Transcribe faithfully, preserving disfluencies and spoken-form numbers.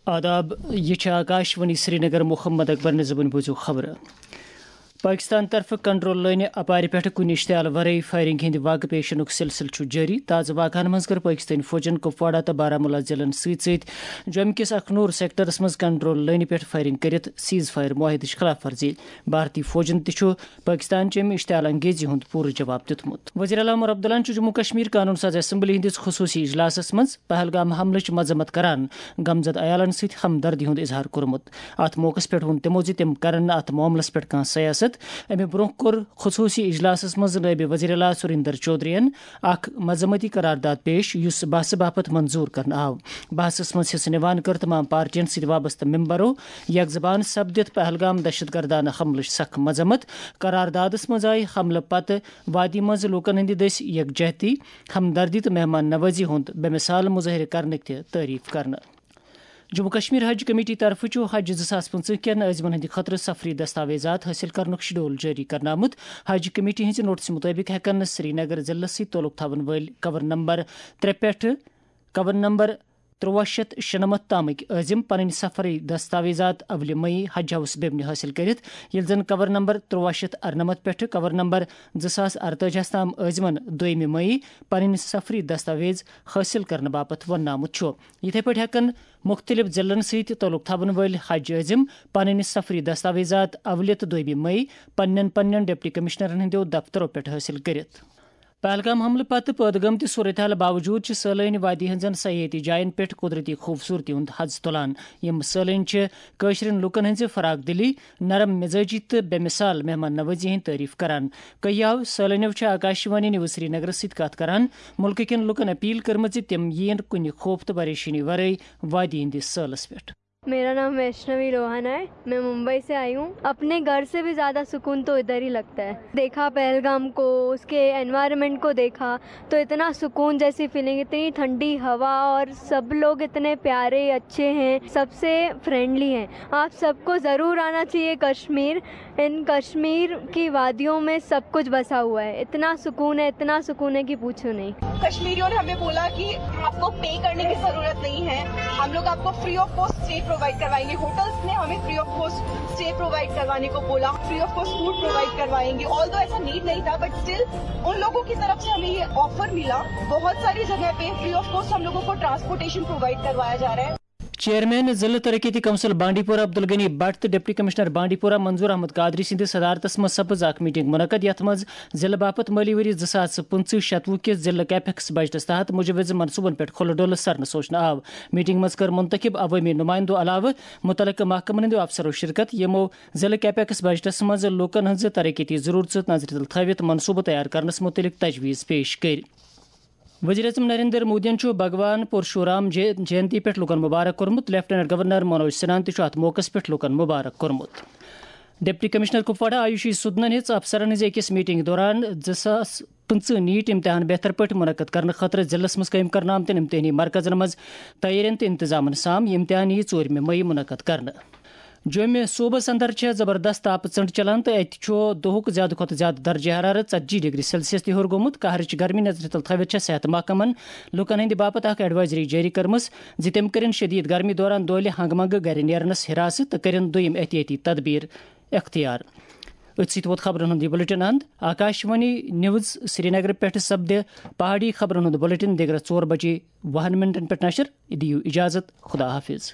آداب، یہِ چھِ آکاشوانی سرینگر۔ محمد اکبر نظمن بوٗزِو خبرٕ۔ پاکستان طرفہٕ کنٹرول لٲنہِ اپارِ پٮ۪ٹھٕ کُنہِ اشتعال ورٲے فائرنگ ہٕنٛدِ واقعہٕ پیش یِنُک سلسلہٕ چھُ جٲری۔ تازٕ واقعن منٛز کٔر پاکستٲنۍ فوجن کپواڑہ تہٕ بارہمولہ ضلعن سۭتۍ سۭتۍ جوٚمہِ کِس اخنور سیکٹرس منٛز کنٹرول لٲنہِ پٮ۪ٹھ فائرنگ کٔرِتھ سیز فائر معاہدٕچ خلاف ورزی۔ بھارتی فوجن تہِ چھُ پاکستان چہِ امہِ اشتعال انگیزی ہُنٛد پوٗرٕ جواب دیُتمُت۔ وزیر اعلیٰ عمر عبداللہن چھُ جموں کشمیر قانون ساز اسمبلی ہٕنٛدِس خصوٗصی اجلاسس منٛز پہلگام حملٕچ مذمت کران، غمزدٕ عیالن سۭتۍ ہمدردی ہُنٛد اظہار کوٚرمُت۔ اتھ موقعس پٮ۪ٹھ ووٚن تِمو زِ تِم کرن نہٕ اتھ معاملس پٮ۪ٹھ کانٛہہ سیاست۔ امہِ برونٛہہ کوٚر خصوٗصی اجلاسس منٛز نٲیِب وزیر اعلیٰ سُریندر چودھرین اکھ مذمتی قرارداد پیش، یُس بحثہٕ باپتھ منظور کرنہٕ آو۔ بحثس منٛز حصہٕ نِوان کٔر تمام پارٹین سۭتۍ وابستہٕ ممبرو یک زبان سپدِتھ پہلگام دہشت گردانہٕ حملٕچ سخ مذمت۔ قراردادس منٛز آیہِ حملہٕ پتہٕ وادی منٛز لوٗکن ہٕنٛدِ دٔسۍ یکجہتی، ہمدردی تہٕ مہمان نوازی ہُنٛد بے مثال مظٲہرٕ کرنٕکۍ تہِ تعریف کرنہٕ۔ جموں کشمیر حج کمیٹی طرفہٕ چھُ حج زٕ ساس پٕنٛژٕہ کٮ۪ن عٲزمن ہٕنٛدِ خٲطرٕ سفری دستاویزات حٲصِل کرنُک شیڈول جٲری کرنہٕ آمُت۔ حج کمیٹی ہٕنٛزِ نوٹسہٕ مُطٲبِق ہٮ۪کَن نہٕ سرینگر ضلعس سۭتۍ تعلق تھاوَن وٲلۍ کور نمبر ترٛےٚ پٮ۪ٹھٕ کور نمبر تُرٛواہ شیٚتھ شُنَمَتھ تامٕکۍ عٲزم پنٕنۍ سفری دستاویزات اولِ مئی حج ہاؤس بیمنہِ حٲصِل کٔرِتھ، ییٚلہِ زن کور نمبر تُرٛواہ شیٚتھ اَرنَمَتھ پٮ۪ٹھٕ کور نمبر زٕ ساس اَرتٲجِہَس تام عٲزمن دوٚیمہِ مئی پنٕنۍ سفری دستاویز حٲصِل کرنہٕ باپتھ وننہٕ آمُت چھُ۔ یِتھے پٲٹھۍ ہٮ۪کَن مُختٔلِف ضلعن سۭتۍ تعلق تھاوَن وٲلۍ حج عٲزم پنٕنۍ سفری دستاویزات اولہِ تہٕ دوٚیمہِ مئی پننٮ۪ن پننٮ۪ن ڈپٹی کمشنرن ہٕنٛدیو دفترو پٮ۪ٹھ حٲصِل کٔرِتھ۔ پہلگام حملہٕ پتہٕ پٲدٕ گٔمتہِ صورتحال باوجود چھِ سٲلٲنۍ وادی ہٕنٛزن سیاحتی جاین پٮ۪ٹھ قدرتی خوبصورتی ہُنٛد حظ تُلان۔ یِم سٲلٲنۍ چھِ کٲشرٮ۪ن لوٗکن ہٕنٛزِ فراخ دلی، نرم مزاجی تہٕ بے مثال مہمان نوازی ہٕنٛدۍ تعریف کران۔ کٔہیاو سٲلٲنیو چھِ آکاشوانی نیوز سرینگرس سۭتۍ کتھ کران مُلکہٕ کٮ۪ن لوٗکن اپیل کٔرمٕژ زِ تِم یِیِن کُنہِ خوف تہٕ پریشٲنی ورٲے وادی ہٕنٛدِس سٲلس پٮ۪ٹھ۔ मेरा नाम वैष्णवी लोहाना है। मैं मुंबई से आई हूँ। अपने घर से भी ज़्यादा सुकून तो इधर ही लगता है। देखा पहलगाम को, उसके एनवायरनमेंट को देखा, तो इतना सुकून जैसी फीलिंग, इतनी ठंडी हवा और सब लोग इतने प्यारे, अच्छे हैं, सबसे फ्रेंडली हैं। आप सबको ज़रूर आना चाहिए कश्मीर। इन कश्मीर की वादियों में सब कुछ बसा हुआ है। इतना सुकून है, इतना सुकून है कि पूछो नहीं। कश्मीरियों ने हमें बोला कि आपको पे करने की जरूरत नहीं है, हम लोग आपको free of cost stay provide करवाएंगे। होटल्स ने हमें free of cost stay provide करवाने को बोला, free of cost food provide करवाएंगे। ऑल्दो ऐसा नीड नहीं था, बट स्टिल उन लोगों की तरफ से हमें ये ऑफर मिला। बहुत सारी जगह पे फ्री ऑफ कॉस्ट हम लोगों को ट्रांसपोर्टेशन प्रोवाइड करवाया जा रहा है। چیئرمین ضلع ترقیتی کونسل بانڈی پورہ عبدالغنی بٹ تہٕ ڈپٹی کمشنر بانڈی پورہ منظور احمد قادری سٕنٛدِ صدارتس منٛز سپٕز اکھ میٹنگ منعقد، یتھ منٛز ضلع باپتھ مٲلی ؤری زٕ ساس پٕنٛژٕہ شتوُہ کِس ضلع کیپیکس بجٹس تحت مُجوِزٕ منصوبن پٮ۪ٹھ کھُلہٕ ڈُلہٕ سرنہٕ سوچنہٕ آو۔ میٹنگ منٛز کٔر منتخب عوٲمی نُمایندو علاوٕ مُتعلقہٕ محکمن ہٕنٛدیو افسرو شرکت، یِمو ضلع کیپیکس بجٹس منٛز لوٗکن ہٕنٛزٕ ترقیتی ضروٗرژٕ نظرِ تل تھٲوِتھ منصوبہٕ تیار کرنس مُتعلق تجویز پیش کٔرۍ۔ وزیر اعظم نریندر مودیَن چھُ بھگوان پرشورام جے-، جینتی پٮ۪ٹھ لوٗکَن مبارک کوٚرمُت۔ لیفٹیننٹ گورنر منوج سنہاہَن تہِ چھُ اَتھ موقعَس پٮ۪ٹھ لوٗکَن مبارک کوٚرمُت۔ ڈپٹی کمشنر کپواڑہ آیوشی سودنَن ہیٚژ افسرَن ہٕنٛزِ أکِس میٹنگ دوران زٕ ساس پٕنٛژٕہ نیٹ امتحان بہتر پٲٹھۍ منعقد کرنہٕ خٲطرٕ ضلعس منٛز قٲیِم کرنہٕ آمتٮ۪ن امتحٲنی مرکزن منٛز تیٲرین تہٕ انتظامن سام۔ یہِ امتحان یِیہِ ژوٗرمہِ مئی منعقد کرنہٕ۔ جوٚمہِ صوبس اندر چھےٚ زبردست تاپہٕ ژٔنٛڈ چلان تہٕ اتہِ چھُ دۄہُک زیادٕ کھۄتہٕ زیادٕ درجہ حرارت ژتجی ڈگری سیلسیس تہِ ہیوٚر گوٚمُت۔ قہرٕچ گرمی نظرِ تل تھٲوِتھ چھےٚ صحت محکمن لوٗکن ہٕنٛدِ باپتھ اکھ ایڈوائزری جٲری کٔرمٕژ زِ تِم کٔرِن شدید گرمی دوران دۄہلہِ ہنگہٕ منگہٕ گرِ نیرنس حراست تہٕ کٔرِن دوٚیِم احتیاطی تدبیر اختیار۔ أتھۍ سۭتۍ ووت خبرن ہُنٛد یہِ بُلٹن اند۔ آکاشوانی نیوز سرینگرٕ پٮ۪ٹھ سپدِ پہاڑی خبرن ہُنٛد بُلٹن دِگرس ژور بجے وُہن منٹن پٮ۪ٹھ نشر۔ دِیِو اجازت، خدا حافظ۔